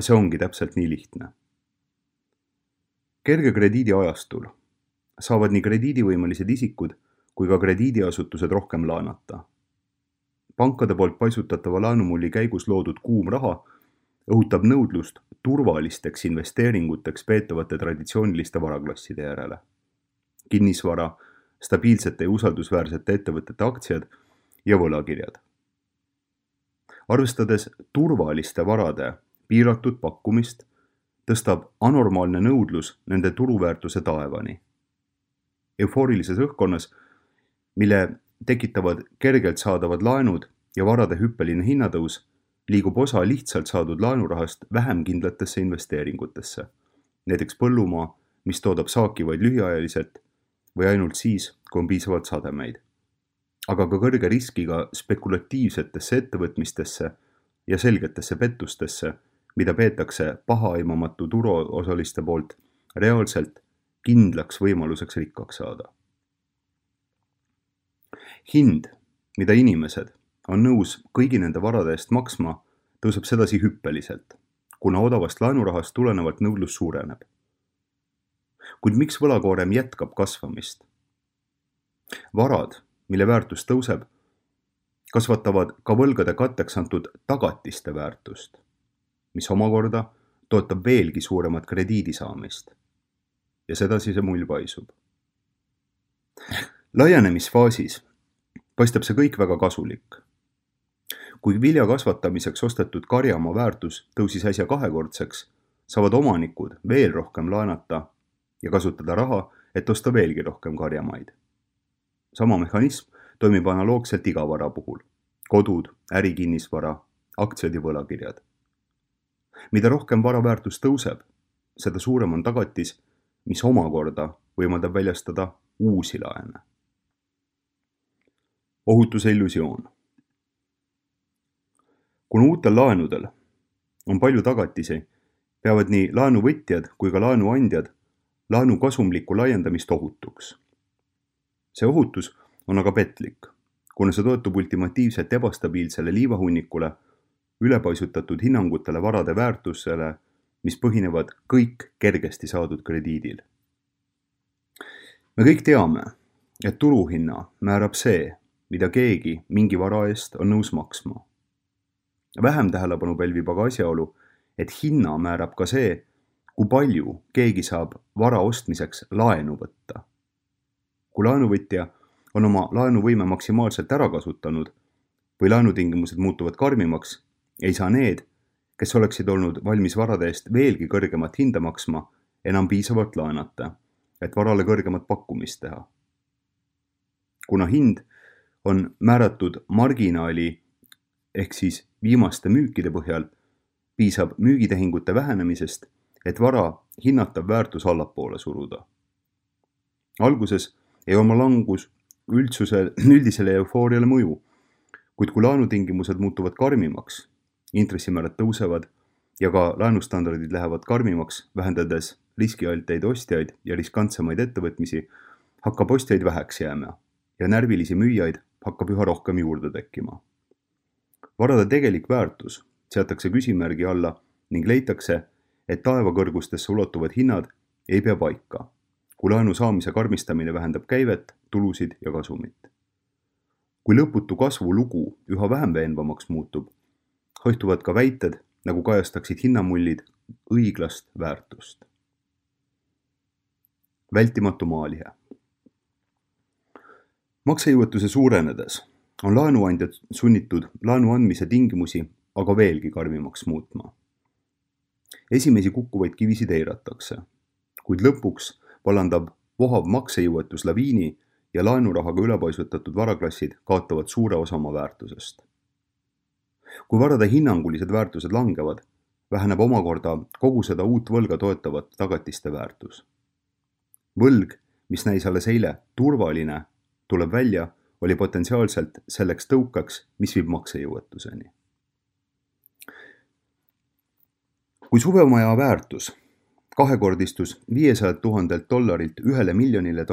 See ongi täpselt nii lihtne. Kerge krediidi ajastul saavad nii krediidivõimelised isikud kui ka krediidiasutused rohkem laenata. Pankade poolt paisutatava laenumulli käigus loodud kuum raha õhutab nõudlust turvalisteks investeeringuteks peetavate traditsiooniliste varaklasside järele. Kinnisvara, stabiilsete ja usaldusväärsete ettevõtete aktsiad ja võlakirjad. Arvestades turvaliste varade piiratud pakkumist, tõstab anormaalne nõudlus nende turuväärtuse taevani. Eufoorilises õhkkonnas, mille tekitavad kergelt saadavad laenud ja varade hüppeline hinnatõus, liigub osa lihtsalt saadud laenurahast vähem kindlatesse investeeringutesse, näiteks põllumaa, mis toodab saaki vaid lühiajaliselt või ainult siis, kui on piisavalt sademeid, aga ka kõrge riskiga spekulatiivsetesse ettevõtmistesse ja selgetesse pettustesse, mida peetakse pahaaimamatu turuosaliste poolt reaalselt kindlaks võimaluseks rikkaks saada. Hind, mida inimesed on nõus kõigi nende varade eest maksma, tõuseb sedasi hüppeliselt, kuna odavast laenurahast tulenevalt nõudlus suureneb. Kuid miks võlakoorem jätkab kasvamist? Varad, mille väärtus tõuseb, kasvatavad ka võlgade katteks antud tagatiste väärtust, mis omakorda toetab veelgi suuremat krediidi saamist. Ja sedasi see mull paisub. Laienemisfaasis paistab see kõik väga kasulik. Kui vilja kasvatamiseks ostetud karjamaa väärtus tõusis äsja 2-kordseks, saavad omanikud veel rohkem laenata ja kasutada raha, et osta veelgi rohkem karjamaid. Sama mehhanism toimib analoogselt iga vara puhul. Kodud, ärikinnisvara, aktsiad ja võlakirjad. Mida rohkem vara väärtus tõuseb, seda suurem on tagatis, mis omakorda võimaldab väljastada uusi laene. Ohutuse illusioon. Kuna uutel laenudel on palju tagatisi, peavad nii laenuvõtjad kui ka laenuandjad laenu kasumlikku laiendamist ohutuks. See ohutus on aga petlik, kuna see toetub ultimatiivselt ebastabiilsele liivahunnikule, ülepaisutatud hinnangutele varade väärtusele, mis põhinevad kõik kergesti saadud krediidil. Me kõik teame, et turuhinna määrab see, mida keegi mingi vara eest on nõus maksma. Vähem tähelepanu pälvib aga asjaolu, et hinna määrab ka see, kui palju keegi saab vara ostmiseks laenu võtta. Kui laenuvõtja on oma laenuvõime maksimaalselt ära kasutanud või laenutingimused muutuvad karmimaks, ei saa need, kes oleksid olnud valmis varade eest veelgi kõrgemat hinda maksma, enam piisavalt laenata, et varale kõrgemat pakkumist teha. Kuna hind on määratud marginaali ehk siis viimaste müükide põhjal, piisab müügitehingute vähenemisest, et vara hinnatav väärtus allapoole suruda. Alguses ei oma langus üldisele eufooriale mõju, kuid kui laenutingimused muutuvad karmimaks, intressimäärad tõusevad ja ka laenustandardid lähevad karmimaks, vähendades riskialteid ostjaid ja riskantsemaid ettevõtmisi, hakkab ostjaid väheks jääma ja närvilisi müüjaid hakkab üha rohkem juurde tekkima. Varade tegelik väärtus seatakse küsimärgi alla ning leitakse, et taevakõrgustesse ulatuvad hinnad ei pea paika, kui laenu saamise karmistamine vähendab käivet, tulusid ja kasumit. Kui lõputu kasvu lugu üha vähem veenvamaks muutub, haihtuvad ka väited, nagu kajastaksid hinnamullid õiglast väärtust. Vältimatu maalihe. Maksejõuetuse suurenedes on laenuandjad sunnitud laenu andmise tingimusi aga veelgi karmimaks muutma. Esimesi kukkuvaid kivisid eiratakse, kuid lõpuks vallandab vohav maksejõuetus laviini ja laenurahaga ülepaisutatud varaklassid kaotavad suure osa oma väärtusest. Kui varade hinnangulised väärtused langevad, väheneb omakorda kogu seda uut võlga toetavat tagatiste väärtus. Võlg, mis näis alles eile turvaline, tuleb välja, oli potentsiaalselt selleks tõukaks, mis viib maksejõuetuseni. Kui suvemaja väärtus kahekordistus $500,000 $1 miljonile,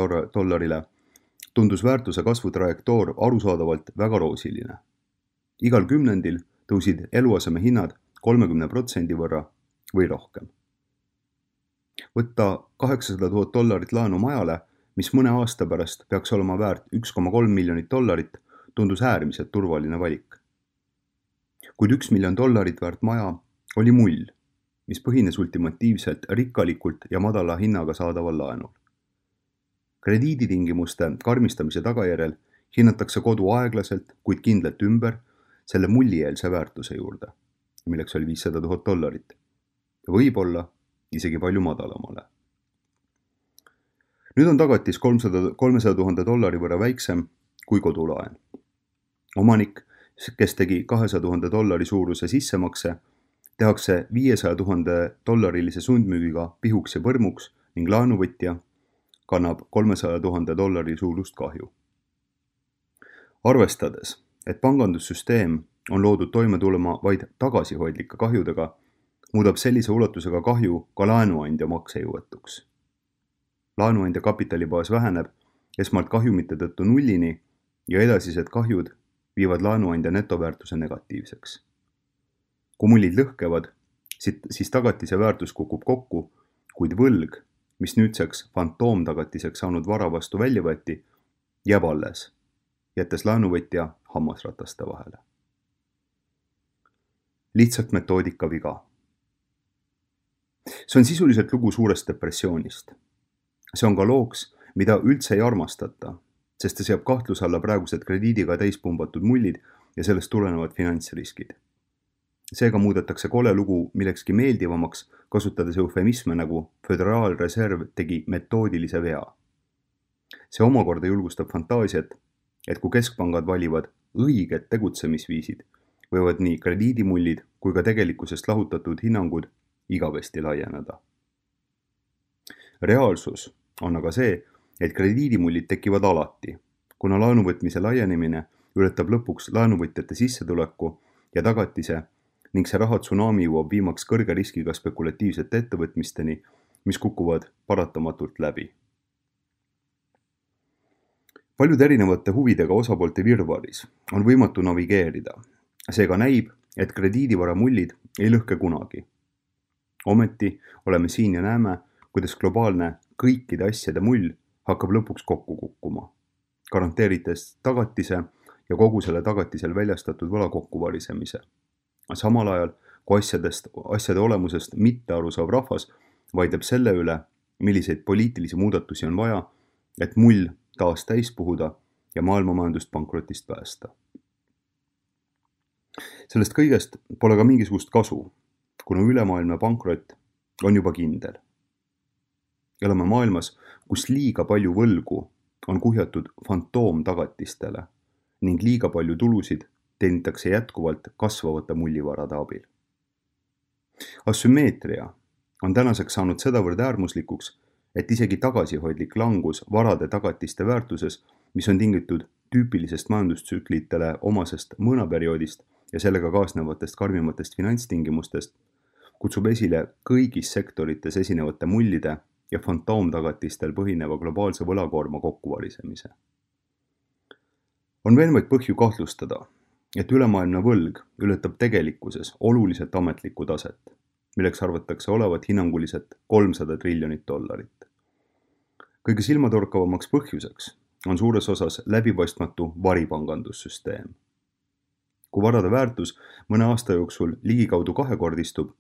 tundus väärtuse kasvu trajektoor arusaadavalt väga roosiline. Igal kümnendil tõusid eluaseme hinnad 30% võrra või rohkem. Võtta $800,000 laenu majale, mis mõne aasta pärast peaks olema väärt $1,3 miljonit, tundus äärmiselt turvaline valik. Kuid $1 miljon väärt maja oli mull, mis põhines ultimatiivselt rikkalikult ja madala hinnaga saadaval laenul. Krediiditingimuste karmistamise tagajärjel hinnatakse kodu aeglaselt, kuid kindlalt ümber selle mullieelse väärtuse juurde, milleks oli $500,000, võib-olla isegi palju madalamale. Nüüd on tagatis $300,000 võrra väiksem kui kodulaen. Omanik, kes tegi $200,000 suuruse sissemakse, tehakse $500,000 sundmüügiga pihuks ja põrmuks ning laenuvõtja kannab $300,000 suurust kahju. Arvestades, et pangandussüsteem on loodud toime tulema vaid tagasihoidlike kahjudega, muudab sellise ulatusega kahju ka laenuandja maksejõuetuks. Laenuandja kapitalibaas väheneb esmalt kahjumite tõttu nullini ja edasised kahjud viivad laenuandja netoväärtuse negatiivseks. Kui mullid lõhkevad, siis tagatise väärtus kukub kokku, kuid võlg, mis nüüdseks fantoomtagatiseks saanud vara vastu välja võeti, jääb alles, jättes laenuvõtja hammasrataste vahele. Lihtsalt metoodika viga. See on sisuliselt lugu suurest depressioonist. See on ka looks, mida üldse ei armastata, sest see seab kahtluse alla praegused krediidiga täispumbatud mullid ja sellest tulenevad finantsriskid. Seega muudetakse kole lugu millekski meeldivamaks, kasutades eufemisme nagu Föderaalreserv tegi metoodilise vea. See omakorda julgustab fantaasiat, et kui keskpangad valivad õiged tegutsemisviisid, võivad nii krediidimullid kui ka tegelikkusest lahutatud hinnangud igavesti laieneda. Reaalsus on aga see, et krediidimullid tekivad alati, kuna laenuvõtmise laienemine ületab lõpuks laenuvõtjate sissetuleku ja tagatise ning see rahatsunami jõuab viimaks kõrge riskiga spekulatiivsete ettevõtmisteni, mis kukuvad paratamatult läbi. Paljude erinevate huvidega osapoolte virvaris on võimatu navigeerida. Seega näib, et krediidivara mullid ei lõhke kunagi. Ometi oleme siin ja näeme, kuidas globaalne kõikide asjade mull hakkab lõpuks kokku kukkuma, garanteerides tagatise ja kogu selle tagatisel väljastatud võla kokkuvarisemise. Samal ajal, kui asjade olemusest mitte aru saav rahvas vaidleb selle üle, milliseid poliitilisi muudatusi on vaja, et mull taas täis puhuda ja maailmamajandust pankrotist päästa. Sellest kõigest pole ka mingisugust kasu, kuna ülemaailmne pankrot on juba kindel. Elame maailmas, kus liiga palju võlgu on kuhjatud fantoomtagatistele ning liiga palju tulusid teenitakse jätkuvalt kasvavate mullivarade abil. Asümmeetria on tänaseks saanud sedavõrd äärmuslikuks, et isegi tagasihoidlik langus varade tagatiste väärtuses, mis on tingitud tüüpilisest majandustsüklitele omasest mõõnaperioodist ja sellega kaasnevatest karmimatest finantstingimustest, kutsub esile kõigis sektorites esinevate mullide ja fantoomtagatistel põhineva globaalse võlakoorma kokkuvarisemise. On veel vaid põhju kahtlustada, et ülemaailmne võlg ületab tegelikkuses oluliselt ametlikku taset, milleks arvatakse olevat hinnanguliselt $300 triljonit. Kõige silmatorkavamaks põhjuseks on suures osas läbipaistmatu varipangandussüsteem. Kui varade väärtus mõne aasta jooksul ligikaudu kahekordistub,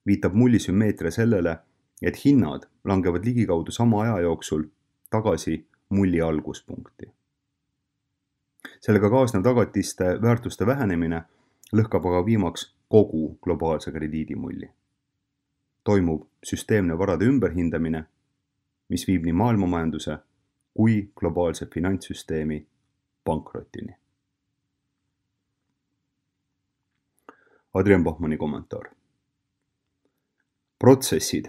viitab mullisümmeetria sellele, et hinnad langevad ligikaudu sama aja jooksul tagasi mulli alguspunkti. Sellega kaasnev tagatiste väärtuste vähenemine lõhkab aga viimaks kogu globaalse krediidimulli. Toimub süsteemne varade ümberhindamine, mis viib nii maailmamajanduse kui globaalse finantssüsteemi pankrotini. Adrian Bachmanni kommentaar. Protsessid,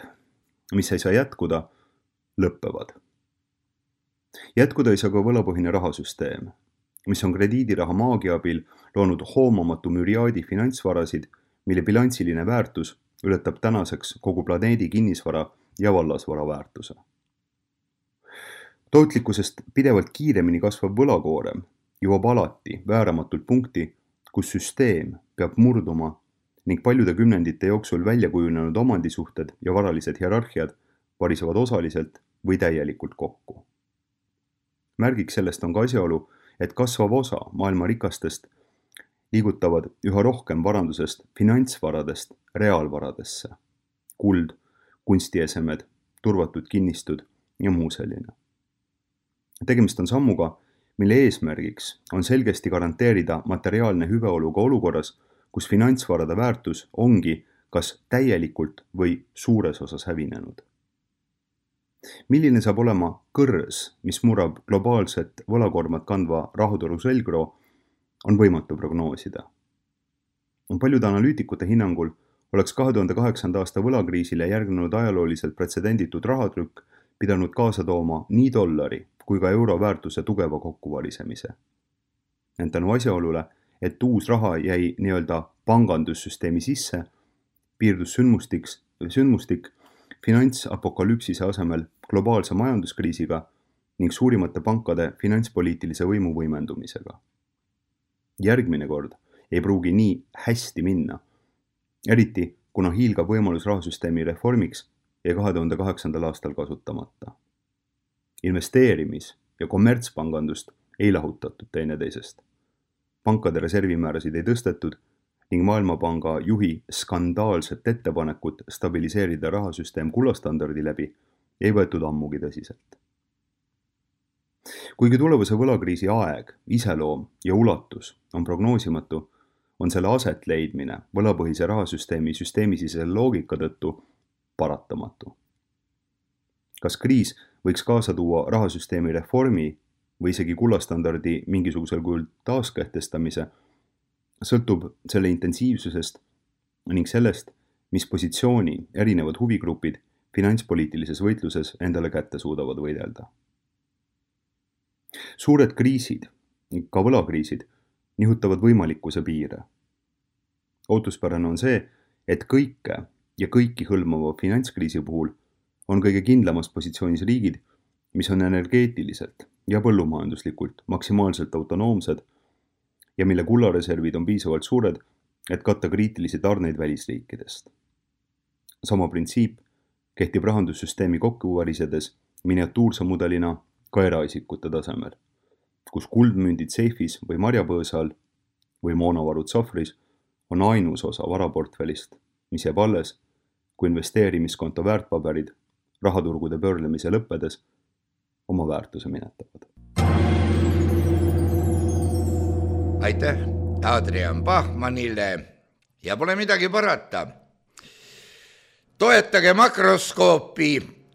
mis ei saa jätkuda, lõppevad. Jätkuda ei saa ka võlapõhine rahasüsteem, mis on krediidiraha maagia abil loonud hoomamatu müriaadi finantsvarasid, mille bilansiline väärtus ületab tänaseks kogu planeedi kinnisvara ja vallasvara väärtuse. Tootlikkusest pidevalt kiiremini kasvav võlakoorem jõuab alati vääramatult punkti, kus süsteem peab murduma ning paljude kümnendite jooksul välja kujunenud omandisuhted ja varalised hierarhiad varisevad osaliselt või täielikult kokku. Märgiks sellest on ka asjaolu, et kasvav osa maailma rikastest liigutavad üha rohkem varandusest finantsvaradest reaalvaradesse, kuld, kunstiesemed, turvatud kinnistud ja muu selline. Tegemist on sammuga, mille eesmärgiks on selgesti garanteerida materiaalne hüveolu ka olukorras, kus finantsvarade väärtus ongi kas täielikult või suures osas hävinenud. Milline saab olema kõrs, mis murrab globaalset võlakormat kandva rahutoru selgroo, on võimatu prognoosida. Paljude analüütikute hinnangul oleks 2008. aasta võlakriisile järgnenud ajalooliselt pretsedenditud rahatrükk pidanud kaasa tooma nii dollari kui ka euro väärtuse tugeva kokkuvarisemise. Ent tänu asjaolule, et uus raha jäi nii-öelda pangandussüsteemi sisse, piirdus sündmustik finantsapokalüpsise asemel globaalse majanduskriisiga ning suurimate pankade finantspoliitilise võimu võimendumisega. Järgmine kord ei pruugi nii hästi minna, eriti kuna hiilgab võimalus rahasüsteemi reformiks ja 2008. aastal kasutamata. Investeerimis- ja kommertspangandust ei lahutatud teineteisest. Pankade reservimäärasid ei tõstetud ning Maailmapanga juhi skandaalset ettepanekut stabiliseerida rahasüsteem kullastandardi läbi ei võetud ammugi tõsiselt. Kuigi tulevase võlakriisi aeg, iseloom ja ulatus on prognoosimatu, on selle aset leidmine võlapõhise rahasüsteemi süsteemisisese loogika tõttu paratamatu. Kas kriis võiks kaasa tuua rahasüsteemi reformi või isegi kullastandardi mingisugusel kujul taaskehtestamise, sõltub selle intensiivsusest ning sellest, mis positsiooni erinevad huvigrupid finantspoliitilises võitluses endale kätte suudavad võidelda. Suured kriisid, ka võlakriisid, nihutavad võimalikkuse piire. Ootuspärane on see, et kõike ja kõiki hõlmava finantskriisi puhul on kõige kindlamas positsioonis riigid, mis on energeetiliselt ja põllumajanduslikult maksimaalselt autonoomsed ja mille kullareservid on piisavalt suured, et katta kriitilisi tarneid välisriikidest. Sama printsiip kehtib rahandussüsteemi kokkuvarisedes miniatuurse mudelina ka eraisikute tasemel, kus kuldmündid seifis või marjapõõsal või moonavarud sahvris on ainus osa varaportfellist, mis jääb alles, kui investeerimiskonto väärtpaberid rahaturgude pöörlemise lõppedes oma väärtuse minetavad. Aitäh Adrian Bachmannile ja pole midagi parata. Toetage makroskoopi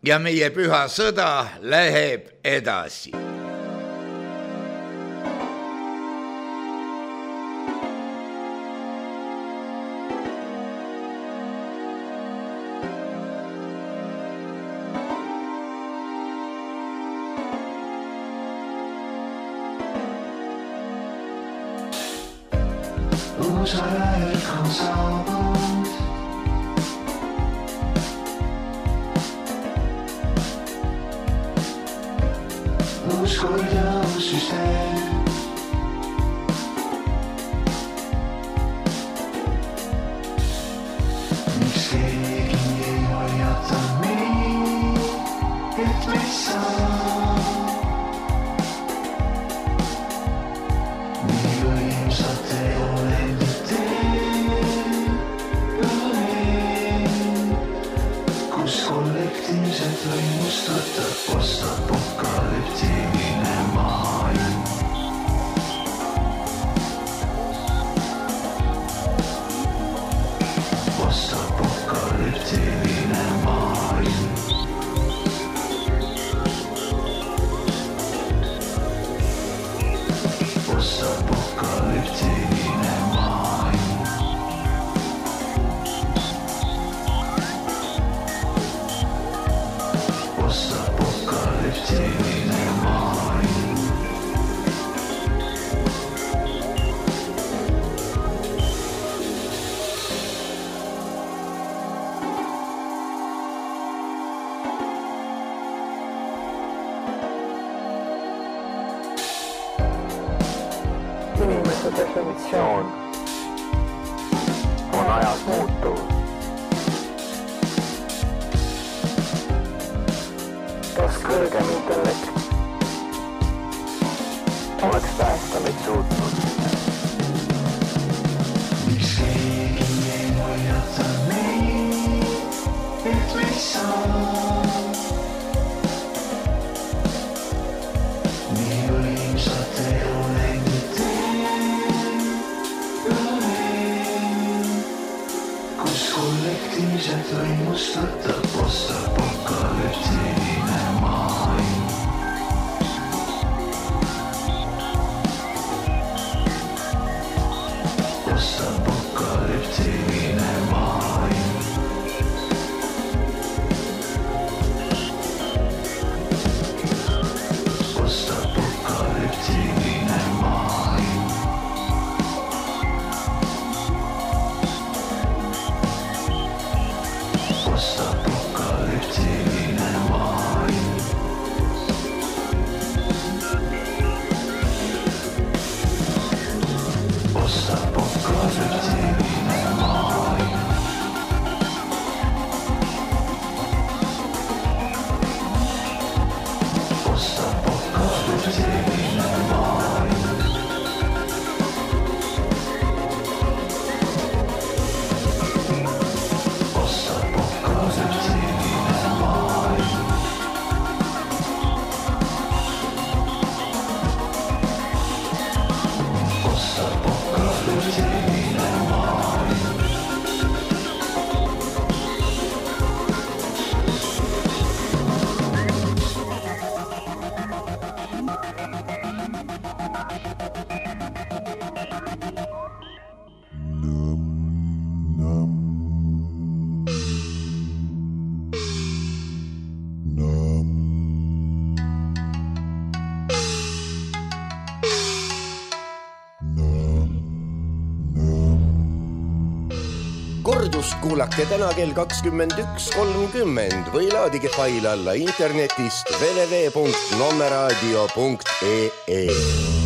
ja meie püha sõda läheb edasi. Uus aeg on saabunud. Uus kord ja uus süsteem. Postapokalüptiline maailm. Postapokalüptiline maailm. Postapokalüptiline maailm. Postapokalüptiline maailm. Inimese definitsioon on ajas muutuv. Kas kõrgem intellekt oleks päästa meid suutnud? Miks keegi ei hoiata meid, et me ei saa nii võimsat elu längida, kus kollektiivselt võimustada postapokalüptiline maailm. Postapokalüptiline maailm. Postapokalüptiline maailm. Postapokalüptiline maailm. Postapokalüptiline maailm. Postapokalüptiline maailm. Postapokalüptiline maailm. Postapokalüptiline maailm. Kordust kuulake täna kell 21.30 või laadige fail alla internetist www.nommeradio.ee.